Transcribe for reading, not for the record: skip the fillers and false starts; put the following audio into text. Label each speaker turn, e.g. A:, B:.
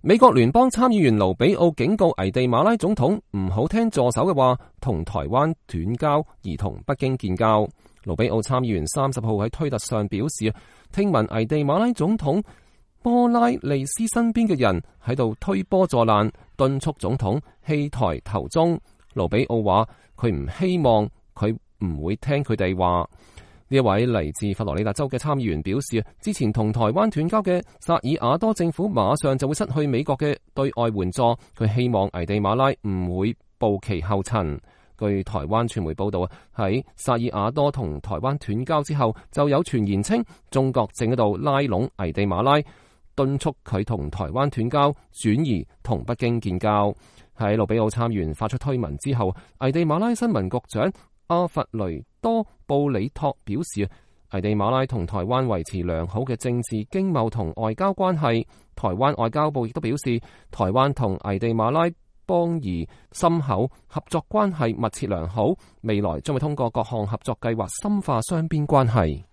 A: 美國聯邦參議員盧比奧警告危地馬拉總統唔好聽助手嘅話，同台灣斷交而同北京建交。盧比奧參議員30號喺推特上表示，聽聞危地馬拉總統波拉利斯身邊嘅人喺度推波助瀾，敦促總統棄台投中。盧比奧話佢唔希望佢唔會聽佢哋話。呢一位嚟自佛羅里達州嘅參議員表示，之前同台灣斷交嘅薩爾瓦多政府馬上就會失去美國嘅對外援助，佢希望危地馬拉唔會步其後塵。據台灣傳媒報道，喺薩爾瓦多同台灣斷交之後，就有傳言稱中國正喺度拉攏危地馬拉，敦促佢同台灣斷交，轉移同北京建交。喺盧比奧參議員發出推文之後，危地馬拉新聞局長阿弗雷多布里托表示，危地馬拉同台灣維持良好嘅政治、經貿同外交關係。台灣外交部亦都表示，台灣同危地馬拉邦誼深厚，合作關係密切良好，未來將會通過各項合作計劃深化雙邊關係。